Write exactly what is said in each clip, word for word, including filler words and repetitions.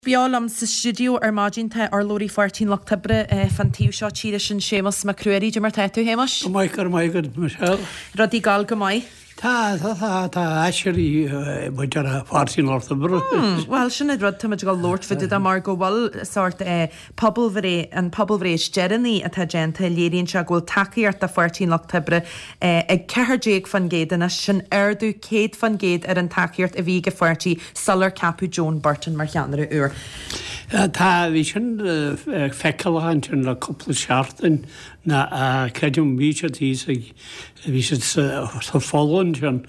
Beo liom sa stiúideo ar maidin tá urlabhraí Pháirtí an Lucht Oibre fán taobh seo tíre sin Séamus Mac Ruairí. Cad é mar tá tú, Shéamuis? Go maith, go raibh maith agat, Michelle. Rudaí ag gabháil go maith? Tá, tá, tá, tá aiséirí muid ar Pháirtí an Lucht Oibre. Bhuel, sin an rud táimid ag dul labhairt fá dtaobh de mar go bhfuil sórt pobalbhreith, an pobalbhreith is deireanaí atá déanta, léiríonn sé go bhfuil tacaíocht do Pháirtí an Lucht Oibre ag ceathair déag faoin gcéad anois, sin ardú céad faoin gcéad ar an tacaíocht a bhí ag an pháirtí sular ceapadh Joan Burton mar cheannaire úr. Tá, bhí sin feiceálach ansin le cúpla seachtain ná creidim bhí siad thíos ag, bhí siad sa Pholainn ansin,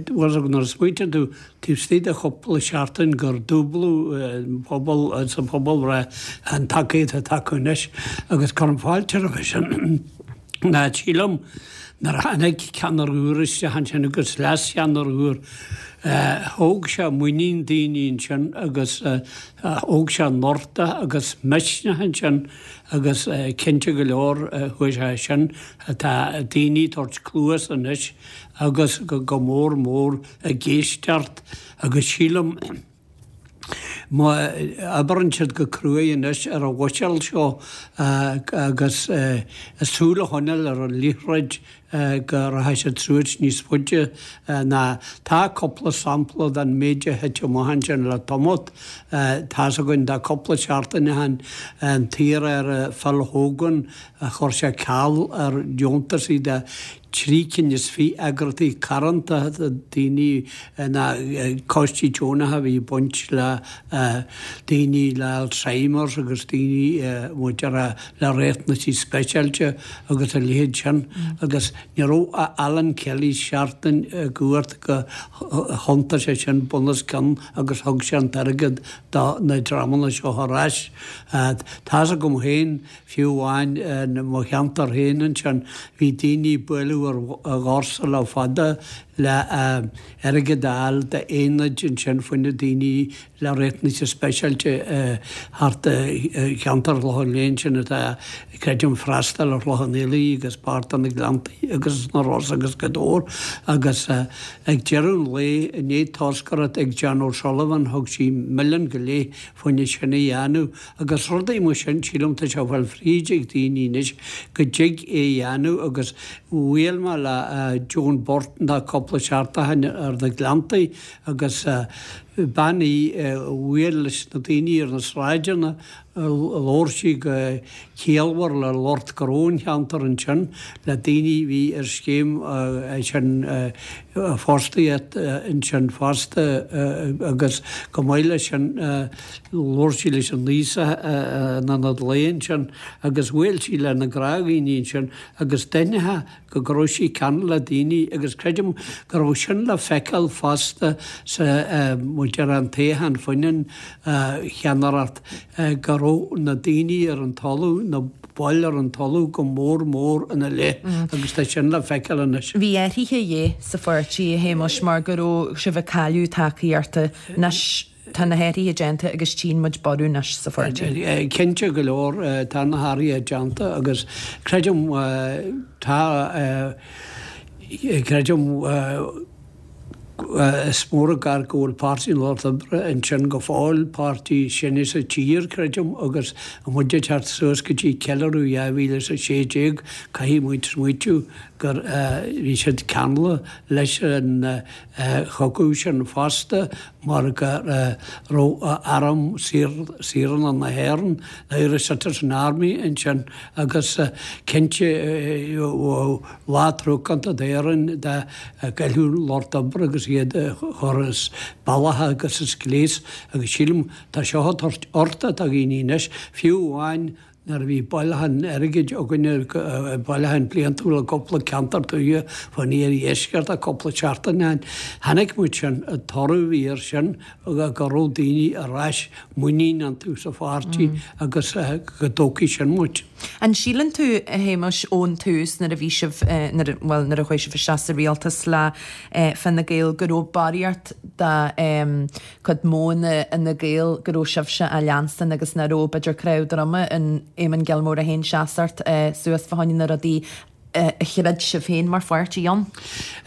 bhuel nuair a smaointíonn tú taobh istigh de chúpla seachtain gur dúbladh pobal sa phobalbhreith an tacaíocht atá acu anois agus cuirim fáilte roimhe sin. Ná sílim nuair a tháinig ceannaire úr isteach ansin agus leascheannaire úr, thóg sé muinín daoine ansin agus thóg sé noirteach agus misneach ansin agus cinnte go leor chuaigh sé sin, tá daoine ag tabhairt cluas anois agus go mór mór ag éisteacht agus sílim, Má oibreann siad go cruaidh anois ar an bhuiséal seo agus súil a choinneáil ar an liathróid go rachaidh siad suas níos faide ná. Tá cúpla sampla den méid a thit amach ansin le tamalt. Tá's againn de cúpla seachtain ó shin an t-iar-aire Phil Hogan chuir sé ceal ar deontasaí de trí cinn is fiche eagraíochtaí carthanachta daoine ná coistí deonacha a bhí ag baint le daoine le Alzheimer's agus daoine maidir le riachtanaisí speisialta agus a leithéid sin agus ní raibh Alan Kelly seachtain i gcumhacht gur thiontaigh sé sin bunoscionn agus thug sé an t-airgead do na dreamanna seo ar ais. Tá's agam féin Fiú amháin i mo cheantar féin ansin, bhí daoine ag bualadh ar dhoirse le fada le airgead a fháil d'aonaid ansin fá choinne daoine le riachtanaisí speisialta thart i cheantar Chlochán Liath ansin atá, creidim, freastal ar Chlochán Liath agus páirt de na Gleanntaí agus na Rosa agus Gaoth Dobhair agus ag deireadh an lae i ndiaidh toscaireacht ag Jan O'Sullivan thug sí milliún go leith fá choinne sin a dhéanamh Agus rudaí mar sin, sílim, tá sé ag fáil fríd ag daoine anois go dtig é a dhéanamh agus bhuail mé le Joan Burton tá cúpla seachtain ó shin ar na Gleanntaí agus bean í a bhuail leis na daoine ar na sráideanna, labhair sí go ciallmhar le lucht gnó an cheantair ansin, le daoine a bhí ar scéim sin fostaíocht ansin fosta agus chomh maith leis sin Labhair sí leis an Nuíosach in ionad lae ansin agus bhuail sí le na gnáthdhaoine ansin agus d'aithneofá go go raibh sí ceanúil le daoine agus creidim go raibh sin le feiceáil fosta sa maidir an toghchán fá choinne an cheannaireacht go raibh na daoine ar an talamh, na baill ar an talamh go mór mór ina leith agus tá sin le feiceáil anois. Bhí athruithe a dhíth sa pháirtí, a Shéamuis, mar go raibh sibh ag cailleadh tacaíochta. Anois. Tá na hathruithe déanta agus tchíonn muid borradh anois sa pháirtí. Cinnte go leor, tá na hathruithe déanta agus creidim, tá, creidim, is mór an gar go bhfuil Páirtí an Lucht Oibre ansin go fóill, páirtí is sine sa tír, creidim, agus muid ag teacht suas go dtí ceiliúradh dhá mhíle is a sé déag, caithfidh muid smaoitiú gur bhí siad ceangailte leis an chogadh sin fosta mar go raibh Arm Saoránach na hÉireann, the Irish Citizen Army, ansin agus cinnte lá truacánta d'Éirinn dá gcaillfeadh an Lucht Oibre agus iad a chur as bealach agus as gléas agus sílim tá seo ag tabhairt uchtach do dhaoine anois, fiú amháin Nuair a bhí bailiúchán airgid againne, bailiúchán bliantúil i gcúpla ceantar tuaithe fán iardheisceart cúpla seachtain ó shin, chonaic muid sin, an toradh a bhí air sin go raibh daoine ar ais muinín iontu sa pháirtí agus go dtógfaidh sin muid. An síleann tú, a Shéamuis, ón tús nuair a bhí sibh, nuair a, bhuel, nuair a chuaigh sibh isteach sa rialtas le Fine Gael go raibh barraíocht de cuid modhanna Fhine Gael go raibh sibhse á leanstan agus nach raibh, b'fhéidir, cnámh droma in Éamon Gilmore é féin seasacht suas fá choinne na rudaí a chreid sibh féin mar pháirtí ann?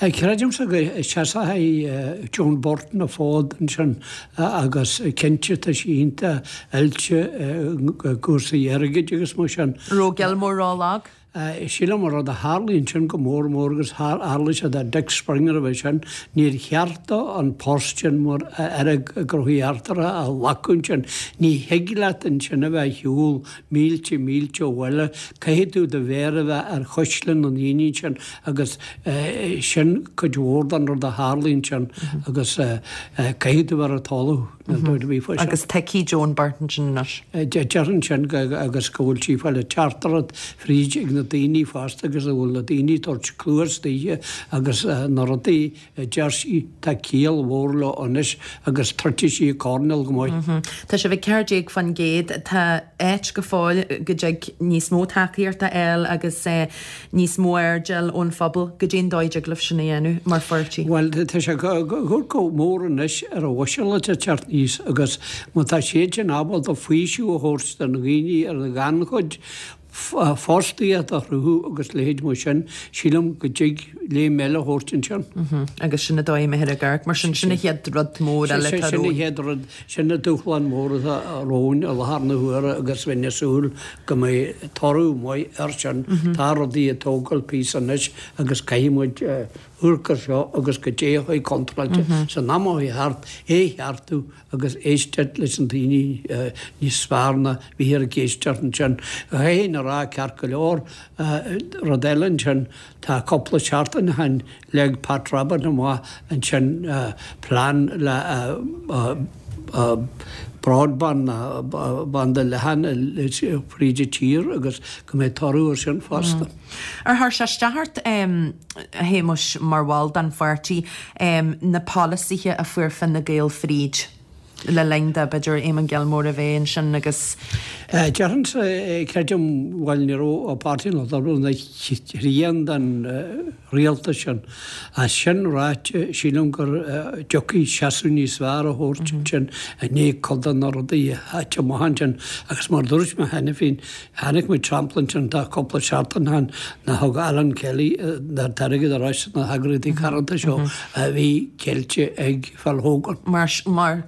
Creidimse go seasfaidh Joan Burton an fód ansin agus cinnte tá sí iontach oilte i gcúrsaí airgid agus mar sin. Raibh Gilmore ró-lag? Sílim an rud a tharlaigh ansin go mór mór agus tharlaigh sé do Dick Springer a bheith sin, níor cheart dó an post sin mar Aire Gnóthaí Eachtracha a ghlacadh ansin. Ní thig leat ansin a bheith ar shiúl mílte mílte ó bhaile, caithfidh tú do mhéar a bheith ar chuisle na ndaoine ansin agus sin cuid mhór den rud a tharlaigh ansin agus caithfidh tú a bheith ar an talamh. Níl dabht ar bith faoi sin. Agus tuigfidh Joan Burton sin anois. Déarfainn sin agus go bhfuil sí ag fáil an teachtaireacht fríd ag na daoine fosta agus go bhfuil na daoine ag tabhairt cluas daoithe agus na rudaí a deir sí, tá ciall mhór leo anois agus troidfidh sí a coirnéal go maith. Tá sibh ag ceathair déag faoin gcéad. Tá áit go fóill go dtig níos mó tacaíochta a fháil agus níos mó aird a fháil ón phobal. Goidé an dóigh a dtig libh sin a dhéanamh mar pháirtí? Bhuel, tá sé chomh mór anois ar an bhuiséad atá ag teacht aníos agus má tá siad sin ábalta faoiseamh a thabhairt do na daoine ar an ghannchuid, fostaíocht a chruthú agus leithéid mar sin, sílim go dtig léim eile a thabhairt ansin. Agus sin an dóigh a mbeifear ag amharc, mar sin, sin an chéad rud mór eile atá romhainn. Sin an chéad rud, sin an dúshlán mór atá romhainn i láthair na huaire agus bheinn ag súil go mbeidh toradh maith air sin. Tá rudaí ag tógáil píosa anois agus caithfidh muid amharc air seo agus goidé a chuaigh contráilte san am a chuaigh thart, é a cheartú agus éisteacht leis na daoine níos fearr ná bhíthear ag éisteacht ansin. Chaithfinn a rá ceart go leor, rud eile ansin, tá cúpla seachtain ó shin leag Pat Rabbitte amach ansin plean le broadband ná banda leathan fríd an tír agus go mbeidh toradh air sin fosta. Ar chuir sé isteach ort, a Shéamuis, mar bhall den pháirtí, na polasaithe a fuair Fine Gael fríd le linn do, b'fhéidir, Eamon Gilmore a bheith ansin agus. Déarfainnse, creidim, bhuel, ní raibh Páirtí an Lucht Oibre ina thrian den rialtas sin. Ach sin ráite, sílim go dtiocfaidh seasamh níos fearr a thabhairt ansin i ndiaidh cuid de na rudaí a thit amach ansin. Agus mar a dúirt mé cheana féin, chonaic muid sampla ansin tá cúpla seachtain ó shin nár thug Alan Kelly an t-airgead ar ais do na heagraíochtaí carthanachta seo a bhí ceilte ag Phil Hogan. Mar, mar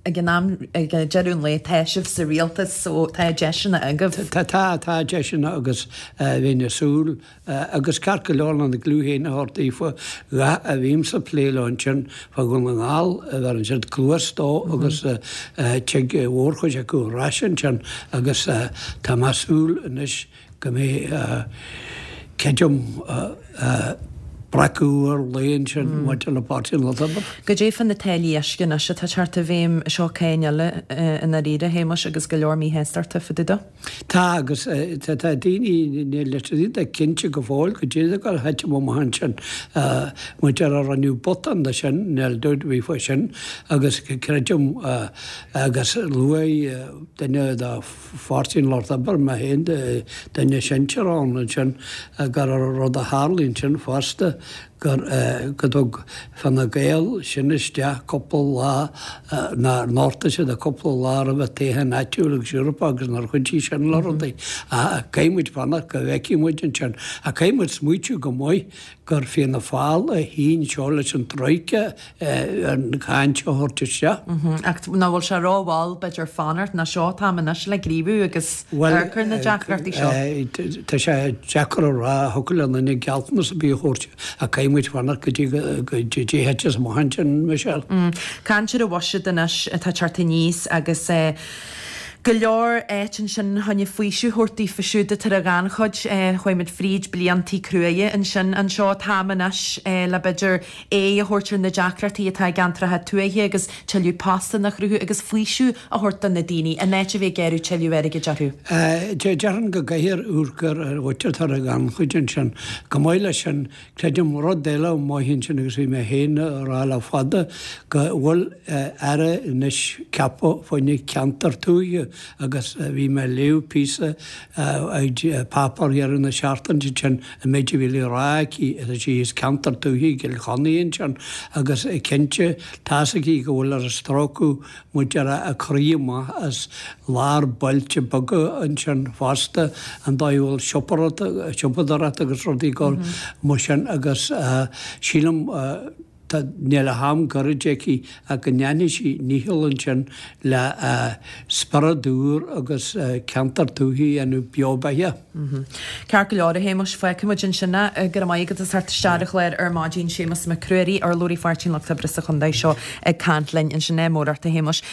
ag an am, ag deireadh an lae, tá sibh sa rialtas so tá deiseanna agaibh. Tá, tá, tá deiseanna agus bheinn ag súil agus ceart go leor lena gclú féin a thabhairt daofa, dhath a bhímse ag plé leo ansin fá Dhún na nGall, bheireann siad cluas dó agus tig a mhórchuid acu ar ais ansin agus tá mé ag súil anois go mbeidh, creidim, breacadh úr lae ansin maidir le Páirtí an Lucht Oibre. Goidé fá na táillí uisce anois atá ag teacht i bhfeidhm, seo cáin eile i ndáiríre, a Shéamuis, agus go leor míshástachta fá dtaobh de. Tá, agus tá daoine, níl siad cinnte go fóill goidé atá ag gabháil a thitim amach ansin. Maidir a rinneadh botún de sin, níl dabht ar bith faoi sin, agus creidim, agus luaigh duine de Pháirtí an Lucht Oibre, mé féin, duine sinsear ann ansin, gur rud a tharlaigh ansin fosta, gur go dtug Fine Gael sin isteach cúpla lá, nár nochtaigh siad cúpla lá roimh an toghchán áitiúil agus Eorpach agus nár chuidigh sin le rudaí. Ach caithfidh muid fanacht go bhfeicfidh muid ansin. Ach caithfidh muid smaoitiú go maith gur Fianna Fáil a shín seo leis an Troika an cháin seo a thabhairt isteach. Ach nach bhfuil sé rómhall, b'fhéidir, fanacht, nó seo an t-am anois le gníomhú agus amharc ar na deacrachtaí seo? Bhuel, tá sé deacair a rá, thiocfadh le duine gealltanas ar bith a thabhairt ach caithfidh muid fanacht go dtí go dtí a thiteas amach ansin, Michelle. Caint ar an bhuiséad anois atá ag teacht aníos agus go leor áit ansin chun faoiseamh a thabhairt daofa siúd atá ar an ghannchuid. Chuaigh muid fríd bliantaí cruaidhe ansin. Anseo an t-am anois le b'fhéidir aghaidh a thabhairt ar na deacrachtaí atá i gceantracha tuaithe agus tuilleadh postanna a chruthú agus faoiseamh a thabhairt do na daoine in áit a bheith ag iarraidh tuilleadh airgid orthu. Déarfainn go gcaithfear amharc ar an mhuintir atá ar an ghannchuid ansin. Chomh maith leis sin, creidim rud eile maith ansin agus bhí mé féin a rá le fada go bhfuil Aire anois ceaptha fá choinne ceantar tuaithe Agus bhí mé ag léamh píosa ag páipéar dheireadh na seachtaine sin an méid a bhí le rá aici is sí as ceantar tuaithe i gCill Chainnigh ansin agus cinnte tá's aici go bhfuil ar a stróiceadh muid ar a croí amach as lár bailte beaga ansin fosta an dóigh a bhfuil siopadóireacht agus rudaí ag dul mar sin agus sílim tá níl ach am gairid aici ach go ndéanfaidh sí nícheall ansin le spiorad úr agus ceantar tuaithe a dhéanamh beo beatha. Ceart go leor, a Shéamais, fágfaidh muid ansin é. Go raibh maith agat as theacht isteach ar an chlár ar maidin, Séamus Mac Ruairí, urlabhraí Pháirtí an Lucht Oibre sa chontae seo ag caint linn ansin. Ádh mór ort, a Shéamais.